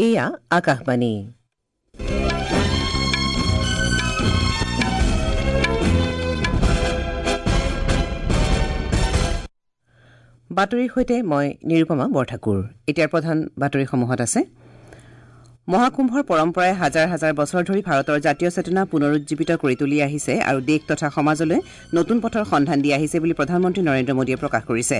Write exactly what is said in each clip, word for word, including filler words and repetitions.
এয়া আকাশবাণী। বাতৰিৰ সৈতে মই নিৰুপমা বৰঠাকুৰ। এতিয়াৰ প্ৰধান বাতৰিসমূহত আছে মহাকুম্ভৰ পৰম্পৰাই হাজাৰ হাজাৰ বছৰ ধৰি ভাৰতৰ জাতীয় চেতনা পুনৰুজ্জীৱিত কৰি তুলি আহিছে আৰু দেশ তথা সমাজলৈ নতুন পথৰ সন্ধান দি আহিছে বুলি প্ৰধানমন্ত্ৰী নৰেন্দ্ৰ মোদীয়ে প্ৰকাশ কৰিছে।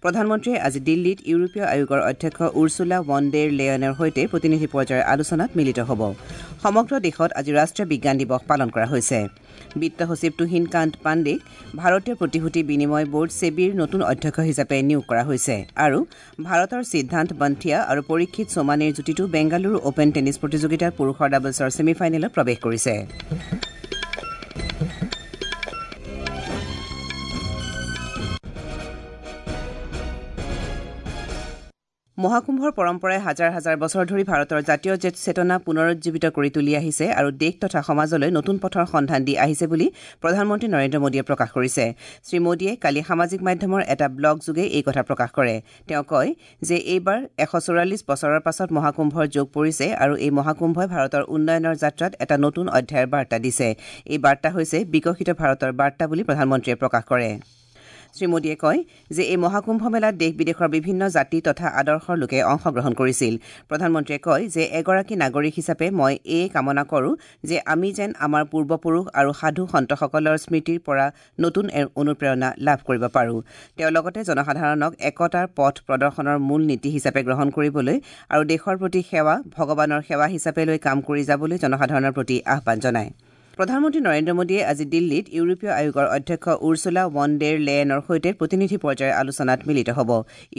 প্ৰধানমন্ত্ৰীয়ে আজি দিল্লীত ইউৰোপীয় আয়োগৰ অধ্যক্ষ উৰ্চুলা ভন ডেৰ লেয়নৰ সৈতে প্ৰতিনিধি পৰ্যায়ৰ আলোচনাত মিলিত হ'ব। সমগ্ৰ দেশত আজি ৰাষ্ট্ৰীয় বিজ্ঞান দিৱস পালন কৰা হৈছে। বিত্ত সচিব তুহিন কান্ত পাণ্ডেক ভাৰতীয় প্ৰতিভূতি বিনিময় বোৰ্ড ছেবিৰ নতুন অধ্যক্ষ হিচাপে নিয়োগ কৰা হৈছে আৰু ভাৰতৰ সিদ্ধান্ত বন্থিয়া আৰু পৰীক্ষিত সোমানীৰ যুটিটো বেংগালুৰু অপেন টেনিছ প্ৰতিযোগিতাৰ পুৰুষৰ ডাবলছৰ ছেমিফাইনেলত প্ৰৱেশ কৰিছে। মহাকুম্ভৰ পৰম্পৰাই হাজাৰ হাজাৰ বছৰ ধৰি ভাৰতৰ জাতীয় চেতনা পুনৰুজ্জীৱিত কৰি তুলি আহিছে আৰু দেশ তথা সমাজলৈ নতুন পথৰ সন্ধান দি আহিছে বুলি প্ৰধানমন্ত্ৰী নৰেন্দ্ৰ মোদীয়ে প্ৰকাশ কৰিছে। শ্ৰী মোদীয়ে কালি সামাজিক মাধ্যমৰ এটা ব্লগ যোগে এই কথা প্ৰকাশ কৰে। তেওঁ কয় যে এইবাৰ এশ চৌৰাল্লিছ বছৰৰ পাছত মহাকুম্ভৰ যোগ পৰিছে আৰু এই মহাকুম্ভই ভাৰতৰ উন্নয়নৰ যাত্ৰাত এটা নতুন অধ্যায়ৰ বাৰ্তা দিছে। এই বাৰ্তা হৈছে বিকশিত ভাৰতৰ বাৰ্তা বুলি প্ৰধানমন্ত্ৰীয়ে প্ৰকাশ কৰে। শ্ৰী মোদীয়ে কয় যে এই মহাকুম্ভ মেলাত দেশ বিদেশৰ বিভিন্ন জাতি তথা আদৰ্শৰ লোকে অংশগ্ৰহণ কৰিছিল। প্ৰধানমন্ত্ৰীয়ে কয় যে এগৰাকী নাগৰিক হিচাপে মই এয়ে কামনা কৰোঁ যে আমি যেন আমাৰ পূৰ্বপুৰুষ আৰু সাধু সন্তসকলৰ স্মৃতিৰ পৰা নতুন অনুপ্ৰেৰণা লাভ কৰিব পাৰোঁ। তেওঁ লগতে জনসাধাৰণক একতাৰ পথ প্ৰদৰ্শনৰ মূল নীতি হিচাপে গ্ৰহণ কৰিবলৈ আৰু দেশৰ প্ৰতি সেৱা ভগৱানৰ সেৱা হিচাপে লৈ কাম কৰি যাবলৈ জনসাধাৰণৰ প্ৰতি আহ্বান জনায়। প্ৰধানমন্ত্ৰী নৰেন্দ্ৰ মোদীয়ে আজি দিল্লীত ইউৰোপীয় আয়োগৰ অধ্যক্ষ উৰ্চুলা ভন ডেৰ লেয়েনৰ সৈতে প্ৰতিনিধি পৰ্যায়ৰ আলোচনাত মিলিত হ'ব।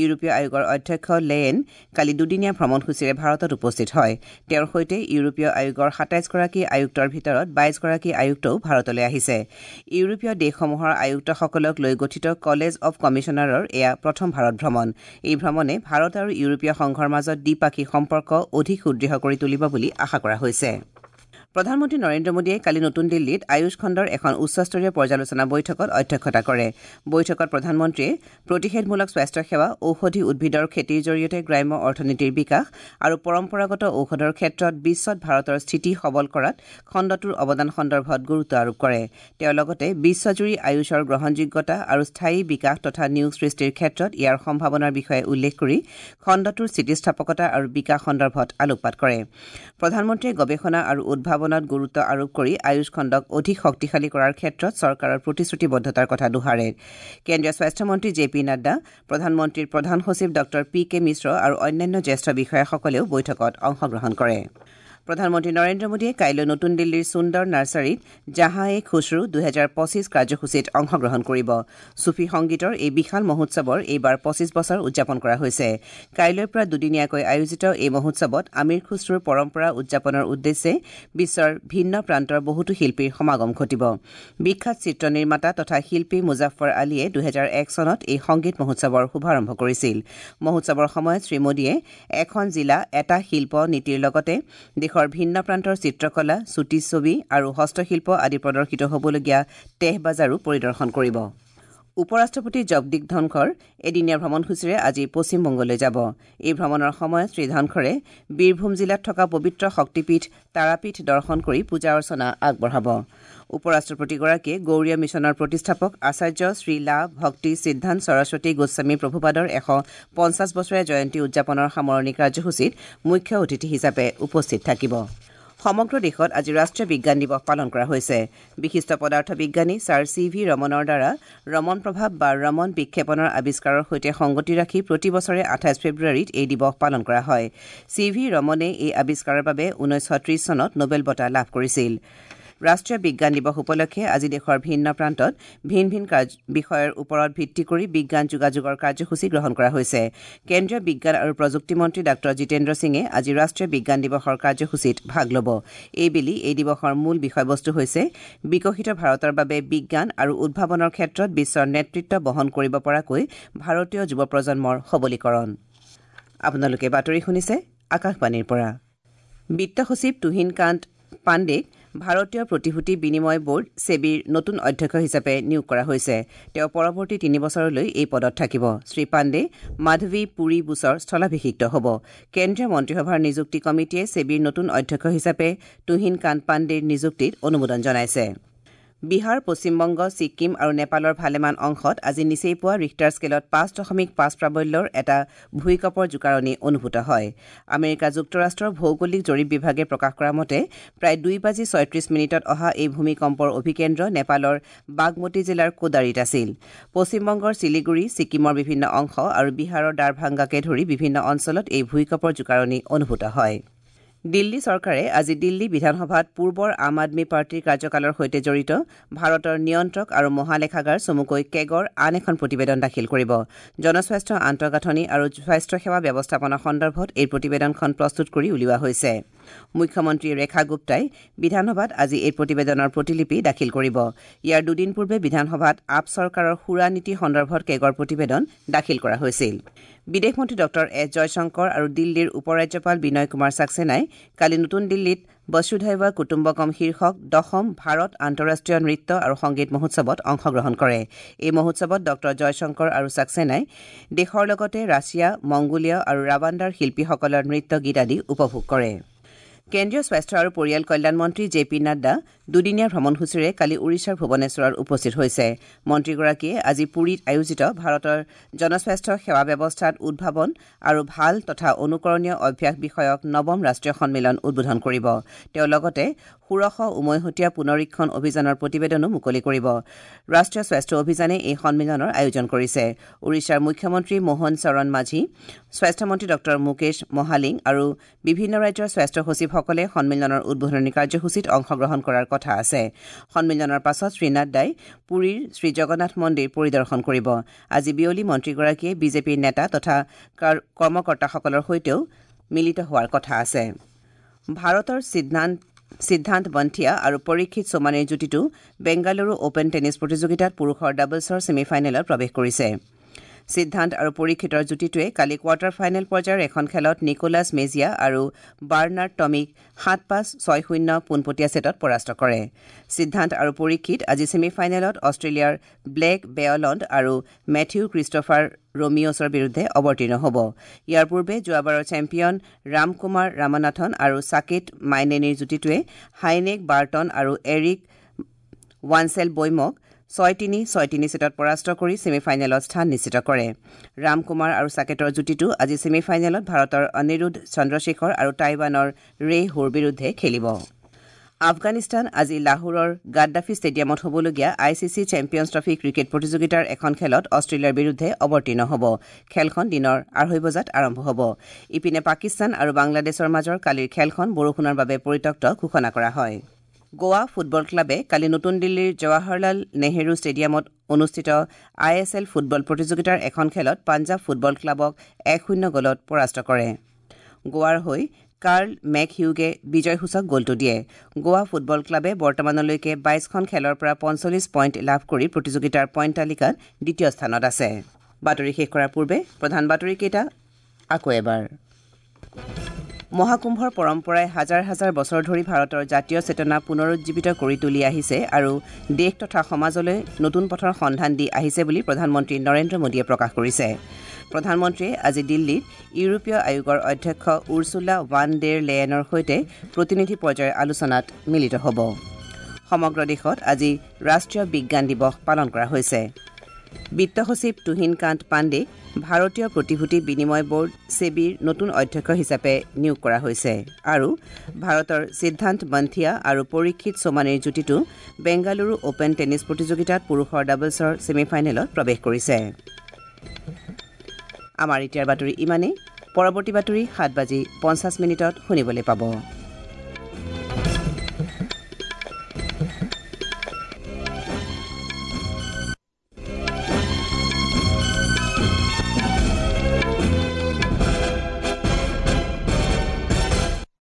ইউৰোপীয় আয়োগৰ অধ্যক্ষ লেয়েন কালি দুদিনীয়া ভ্ৰমণসূচীৰে ভাৰতত উপস্থিত হয়। তেওঁৰ সৈতে ইউৰোপীয় আয়োগৰ সাতাইছগৰাকী আয়ুক্তৰ ভিতৰত বাইছগৰাকী আয়ুক্তও ভাৰতলৈ আহিছে। ইউৰোপীয় দেশসমূহৰ আয়ুক্তসকলক লৈ গঠিত কলেজ অৱ কমিছনাৰৰ এয়া প্ৰথম ভাৰত ভ্ৰমণ। এই ভ্ৰমণে ভাৰত আৰু ইউৰোপীয় সংঘৰ মাজত দ্বিপাক্ষিক সম্পৰ্ক অধিক সুদৃঢ় কৰি তুলিব বুলি আশা কৰা হৈছে। প্ৰধানমন্ত্ৰী নৰেন্দ্ৰ মোদীয়ে কালি নতুন দিল্লীত আয়ুষ খণ্ডৰ এখন উচ্চস্তৰীয় পৰ্যালোচনা বৈঠকত অধ্যক্ষতা কৰে। বৈঠকত প্ৰধানমন্ত্ৰীয়ে প্ৰতিষেধমূলক স্বাস্থ্যসেৱা, ঔষধি উদ্ভিদৰ খেতিৰ জৰিয়তে গ্ৰাম্য অৰ্থনীতিৰ বিকাশ আৰু পৰম্পৰাগত ঔষধৰ ক্ষেত্ৰত বিশ্বত ভাৰতৰ স্থিতি সবল কৰাত খণ্ডটোৰ অৱদান সন্দৰ্ভত গুৰুত্ব আৰোপ কৰে। তেওঁ লগতে বিশ্বজুৰি আয়ুষৰ গ্ৰহণযোগ্যতা আৰু স্থায়ী বিকাশ তথা নিয়োগ সৃষ্টিৰ ক্ষেত্ৰত ইয়াৰ সম্ভাৱনাৰ বিষয়ে উল্লেখ কৰি খণ্ডটোৰ স্থিতিস্থাপকতা আৰু বিকাশ সন্দৰ্ভত আলোকপাত কৰে। প্ৰধানমন্ত্ৰীয়ে গৱেষণা আৰু উদ্ভাৱন গুৰুত্ব আৰোপ কৰি আয়ুষ খণ্ডক অধিক শক্তিশালী কৰাৰ ক্ষেত্ৰত চৰকাৰৰ প্ৰতিশ্ৰুতিবদ্ধতাৰ কথা দোহাৰে। কেন্দ্ৰীয় স্বাস্থ্যমন্ত্ৰী জে পি নাড্ডা, প্ৰধানমন্ত্ৰীৰ প্ৰধান সচিব ডঃ পি কে মিশ্ৰ আৰু অন্যান্য জ্যেষ্ঠ বিষয়াসকলেও বৈঠকত অংশগ্ৰহণ কৰে। প্ৰধানমন্ত্ৰী নৰেন্দ্ৰ মোদীয়ে কাইলৈ নতুন দিল্লীৰ সুন্দৰ নাৰ্চাৰীত জাহাঁ এ খুচৰু দুহেজাৰ পঁচিছ কাৰ্যসূচীত অংশগ্ৰহণ কৰিব। চুফী সংগীতৰ এই বিশাল মহোৎসৱৰ এইবাৰ পঁচিছ বছৰ উদযাপন কৰা হৈছে। কাইলৈৰ পৰা দুদিনীয়াকৈ আয়োজিত এই মহোৎসৱত আমিৰ খুচৰুৰ পৰম্পৰা উদযাপনৰ উদ্দেশ্যে বিশ্বৰ ভিন্ন প্ৰান্তৰ বহুতো শিল্পীৰ সমাগম ঘটিব। বিখ্যাত চিত্ৰ নিৰ্মাতা তথা শিল্পী মুজাফৰ আলীয়ে দুহেজাৰ এক চনত এই সংগীত মহোৎসৱৰ শুভাৰম্ভ কৰিছিল। মহোৎসৱৰ সময়ত শ্ৰী মোদীয়ে এখন জিলা এটা শিল্প নীতিৰ লগতে দেশৰ ভিন্ন প্ৰান্তৰ চিত্ৰকলা, চুটি ছবি আৰু হস্তশিল্প আদি প্ৰদৰ্শিত হ'বলগীয়া তেহ বাজাৰো পৰিদৰ্শন কৰিব। উপ ৰাষ্ট্ৰপতি জগদীপ ধনখৰ এদিনীয়া ভ্ৰমণসূচীৰে আজি পশ্চিমবংগলৈ যাব। এই ভ্ৰমণৰ সময়ত শ্ৰী ধনখৰে বীৰভূম জিলাত থকা পবিত্ৰ শক্তিপীঠ তাৰাপীঠ দৰ্শন কৰি পূজা অৰ্চনা আগবঢ়াব। উপ ৰাষ্ট্ৰপতিগৰাকীয়ে গৌৰীয় মিছনৰ প্ৰতিষ্ঠাপক আচাৰ্য শ্ৰীলা ভক্তি সিদ্ধান্ত সৰস্বতী গোস্বামী প্ৰভুপাদৰ এশ পঞ্চাছ বছৰীয়া জয়ন্তী উদযাপনৰ সামৰণি কাৰ্যসূচীত মুখ্য অতিথি হিচাপে উপস্থিত থাকিব। সমগ্ৰ দেশত আজি ৰাষ্ট্ৰীয় বিজ্ঞান দিৱস পালন কৰা হৈছে। বিশিষ্ট পদাৰ্থ বিজ্ঞানী ছাৰ চি ভি ৰমনৰ দ্বাৰা ৰমন প্ৰভাৱ বা ৰমন বিক্ষেপণৰ আৱিষ্কাৰৰ সৈতে সংগতি ৰাখি প্ৰতি বছৰে আঠাইছ ফেব্ৰুৱাৰীত এই দিৱস পালন কৰা হয়। চি ভি ৰমনে এই আৱিষ্কাৰৰ বাবে ঊনৈছশ ত্ৰিছ চনত নোবেল বঁটা লাভ কৰিছিল। ৰাষ্ট্ৰীয় বিজ্ঞান দিৱস উপলক্ষে আজি দেশৰ ভিন্ন প্ৰান্তত ভিন ভিন বিষয়ৰ ওপৰত ভিত্তি কৰি বিজ্ঞান যোগাযোগৰ কাৰ্যসূচী গ্ৰহণ কৰা হৈছে। কেন্দ্ৰীয় বিজ্ঞান আৰু প্ৰযুক্তি মন্ত্ৰী ডাঃ জিতেন্দ্ৰ সিঙে আজি ৰাষ্ট্ৰীয় বিজ্ঞান দিৱসৰ কাৰ্যসূচীত ভাগ ল'ব। এইবেলি এই দিৱসৰ মূল বিষয়বস্তু হৈছে বিকশিত ভাৰতৰ বাবে বিজ্ঞান আৰু উদ্ভাৱনৰ ক্ষেত্ৰত বিশ্বৰ নেতৃত্ব বহন কৰিব পৰাকৈ ভাৰতীয় যুৱ প্ৰজন্মৰ সবলীকৰণ। আপোনালোকে বাতৰি শুনিছে আকাশবাণীৰ পৰা। বিত্ত সচিব তুহিন কান্ত পাণ্ডেক ভাৰতীয় প্ৰতিভূতি বিনিময় বোৰ্ড ছেবিৰ নতুন অধ্যক্ষ হিচাপে নিয়োগ কৰা হৈছে। তেওঁ পৰৱৰ্তী তিনি বছৰলৈ এই পদত থাকিব। শ্ৰী পাণ্ডে মাধৱী পুৰী বুচৰ স্থলাভিষিক্ত হ'ব। কেন্দ্ৰীয় মন্ত্ৰীসভাৰ নিযুক্তি কমিটিয়ে ছেবিৰ নতুন অধ্যক্ষ হিচাপে তুহিন কান্ত পাণ্ডেৰ নিযুক্তিত অনুমোদন জনাইছে। বিহাৰ, পশ্চিমবংগ, ছিকিম আৰু নেপালৰ ভালেমান অংশত আজি নিচেই পুৱা ৰিখটাৰ স্কেলত পাঁচ দশমিক পাঁচ প্ৰাবল্যৰ এটা ভূঁইকঁপৰ জোকাৰণি অনুভূত হয়। আমেৰিকা যুক্তৰাষ্ট্ৰৰ ভৌগোলিক জৰীপ বিভাগে প্ৰকাশ কৰা মতে প্ৰায় দুই বাজি ছয়ত্ৰিশ মিনিটত অহা এই ভূমিকম্পৰ অভিকেন্দ্ৰ নেপালৰ বাগমতী জিলাৰ কোদাৰীত আছিল। পশ্চিমবংগৰ শিলিগুৰি, ছিকিমৰ বিভিন্ন অংশ আৰু বিহাৰৰ দাৰভাংগাকে ধৰি বিভিন্ন অঞ্চলত এই ভূঁইকঁপৰ জোকাৰণি অনুভূত হয়। দিল্লী চৰকাৰে আজি দিল্লী বিধানসভাত পূৰ্বৰ আম আদমী পাৰ্টীৰ কাৰ্যকালৰ সৈতে জড়িত ভাৰতৰ নিয়ন্ত্ৰক আৰু মহালেখাগাৰ চমুকৈ কেগৰ আন এখন প্ৰতিবেদন দাখিল কৰিব। জনস্বাস্থ্য আন্তঃগাঁথনি আৰু স্বাস্থ্যসেৱা ব্যৱস্থাপনা সন্দৰ্ভত এই প্ৰতিবেদনখন প্ৰস্তুত কৰি উলিওৱা হৈছে। মুখ্যমন্ত্ৰী ৰেখা গুপ্তাই বিধানসভাত আজি এই প্ৰতিবেদনৰ প্ৰতিলিপি দাখিল কৰিব। ইয়াৰ দুদিন পূৰ্বে বিধানসভাত আপ চৰকাৰৰ সুৰা নীতি সন্দৰ্ভত কেগৰ প্ৰতিবেদন দাখিল কৰা হৈছিল। বিদেশ মন্ত্ৰী ডক্টৰ এছ জয়শংকৰ আৰু দিল্লীৰ উপ ৰাজ্যপাল বিনয় কুমাৰ ছাক্সেনাই কালি নতুন দিল্লীত বসুধৈৱ কুটুম্বকম শীৰ্ষক দশম ভাৰত আন্তঃৰাষ্ট্ৰীয় নৃত্য আৰু সংগীত মহোৎসৱত অংশগ্ৰহণ কৰে। এই মহোৎসৱত ডক্টৰ জয়শংকৰ আৰু ছাক্সেনাই দেশৰ লগতে ৰাছিয়া, মংগোলিয়া আৰু ৰাৱাণ্ডাৰ শিল্পীসকলৰ নৃত্য গীত আদি উপভোগ কৰে। কেন্দ্ৰীয় স্বাস্থ্য আৰু পৰিয়াল কল্যাণ মন্ত্ৰী জে পি নাড্ডা দুদিনীয়া ভ্ৰমণসূচীৰে কালি ওড়িশাৰ ভুৱনেশ্বৰত উপস্থিত হৈছে। মন্ত্ৰীগৰাকীয়ে আজি পুৰীত আয়োজিত ভাৰতৰ জনস্বাস্থ্য সেৱা ব্যৱস্থাত উদ্ভাৱন আৰু ভাল তথা অনুকৰণীয় অভ্যাস বিষয়ক নৱম ৰাষ্ট্ৰীয় সন্মিলন উদ্বোধন কৰিব। তেওঁ লগতে ষোড়শ উমৈহতীয়া পুনৰীক্ষণ অভিযানৰ প্ৰতিবেদনো মুকলি কৰিব। ৰাষ্ট্ৰীয় স্বাস্থ্য অভিযানে এই সন্মিলনৰ আয়োজন কৰিছে। ওড়িশাৰ মুখ্যমন্ত্ৰী মোহন চৰণ মাঝি, স্বাস্থ্যমন্ত্ৰী ডক্টৰ মুকেশ মহালিং আৰু বিভিন্ন ৰাজ্যৰ স্বাস্থ্য সচিবসকলে সন্মিলনৰ উদ্বোধনী কাৰ্যসূচীত অংশগ্ৰহণ কৰাৰ কথা আছে। সন্মিলনৰ পাছত শ্ৰী নাড্ডাই পুৰীৰ শ্ৰীজগন্নাথ মন্দিৰ পৰিদৰ্শন কৰিব। আজি বিয়লি মন্ত্ৰীগৰাকীয়ে বিজেপিৰ নেতা তথা কৰ্মকৰ্তাসকলৰ সৈতেও মিলিত হোৱাৰ কথা আছে। ভাৰতৰ সিদ্ধান্ত সিদ্ধান্ত বন্থিয়া আৰু পৰীক্ষিত সোমানীৰ যুটিটো বেংগালুৰু অপেন টেনিছ প্ৰতিযোগিতাত পুৰুষৰ ডাবলছৰ ছেমি ফাইনেলত প্ৰৱেশ কৰিছে। সিদ্ধান্ত আৰু পৰীক্ষিতৰ যুটিটোৱে কালি কোৱাৰ্টাৰ ফাইনেল পৰ্যায়ৰ এখন খেলত নিকোলাছ মেজিয়া আৰু বাৰ্নাৰ্ড টমিক সাত পাঁচ ছয় শূন্য পোনপটীয়া ছেটত পৰাস্ত কৰে। সিদ্ধান্ত আৰু পৰীক্ষিত আজি ছেমি ফাইনেলত অষ্ট্ৰেলিয়াৰ ব্লেক বেয়লণ্ড আৰু মেথিউ ক্ৰিষ্টফাৰ ৰোমিঅছৰ বিৰুদ্ধে অৱতীৰ্ণ হ'ব। ইয়াৰ পূৰ্বে যোৱাবাৰৰ চেম্পিয়ন ৰামকুমাৰ ৰামানাথন আৰু সাকেত মাইনেনীৰ যুটিটোৱে হাইনেক বাৰ্টন আৰু এৰিক ৱানছেল বৈমক ছয় তিনি ছয় তিনি ছেটত পৰাস্ত কৰি ছেমি ফাইনেলত স্থান নিশ্চিত কৰে। ৰামকুমাৰ আৰু সাকেতৰ যুটিটো আজি ছেমি ফাইনেলত ভাৰতৰ অনিৰুদ্ধ চন্দ্ৰশেখৰ আৰু টাইৱানৰ ৰে হোৰ বিৰুদ্ধে খেলিব। আফগানিস্তান আজি লাহোৰৰ গাদ্দাফি ষ্টেডিয়ামত হ'বলগীয়া I C C Champions Trophy cricket প্ৰতিযোগিতাৰ এখন খেলত অষ্ট্ৰেলিয়াৰ বিৰুদ্ধে অৱতীৰ্ণ হ'ব। খেলখন দিনৰ আঢ়ৈ বজাত আৰম্ভ হ'ব। ইপিনে পাকিস্তান আৰু বাংলাদেশৰ মাজৰ কালিৰ খেলখন বৰষুণৰ বাবে পৰিত্যক্ত ঘোষণা কৰা হয়। গোৱা ফুটবল ক্লাবে কালি নতুন দিল্লীৰ জৱাহৰলাল নেহেৰু ষ্টেডিয়ামত অনুষ্ঠিত I S L football প্ৰতিযোগিতাৰ এখন খেলত পাঞ্জাৱ ফুটবল ক্লাবক এক শূন্য গ'লত পৰাস্ত কৰে। গোৱাৰ হৈ কাৰ্ল মেকহিউগে বিজয়সূচক গ'লটো দিয়ে। গোৱা ফুটবল ক্লাবে বৰ্তমানলৈকে বাইশখন খেলৰ পৰা পঞ্চল্লিছ পইণ্ট লাভ কৰি প্ৰতিযোগিতাৰ পইণ্ট তালিকাত দ্বিতীয় স্থানত আছে। বাতৰি শেষ কৰাৰ পূৰ্বে প্ৰধান বাতৰিকেইটা আকৌ এবাৰ। মহাকুম্ভৰ পৰম্পৰাই হাজাৰ হাজাৰ বছৰ ধৰি ভাৰতৰ জাতীয় চেতনা পুনৰুজ্জীৱিত কৰি তুলি আহিছে আৰু দেশ তথা সমাজলৈ নতুন পথৰ সন্ধান দি আহিছে বুলি প্ৰধানমন্ত্ৰী নৰেন্দ্ৰ মোদীয়ে প্ৰকাশ কৰিছে। প্ৰধানমন্ত্ৰীয়ে আজি দিল্লীত ইউৰোপীয় আয়োগৰ অধ্যক্ষ উৰ্চুলা ৱান ডেৰ লেয়েনৰ সৈতে প্ৰতিনিধি পৰ্যায়ৰ আলোচনাত মিলিত হ'ব। সমগ্ৰ দেশত আজি ৰাষ্ট্ৰীয় বিজ্ঞান দিৱস পালন কৰা হৈছে। বিত্ত সচিব তুহিন কান্ত পাণ্ডেক ভাৰতীয় প্ৰতিভূতি বিনিময় বোৰ্ড ছেবিৰ নতুন অধ্যক্ষ হিচাপে নিয়োগ কৰা হৈছে আৰু ভাৰতৰ সিদ্ধান্ত বন্থিয়া আৰু পৰীক্ষিত সোমানীৰ যুটিটো বেংগালুৰু অপেন টেনিছ প্ৰতিযোগিতাত পুৰুষৰ ডাবলছৰ ছেমি ফাইনেলত প্ৰৱেশ কৰিছে। আমাৰ এতিয়াৰ বাতৰি ইমানেই। পৰৱৰ্তী বাতৰি সাত বাজি পঞ্চাছ মিনিটত শুনিবলৈ পাব।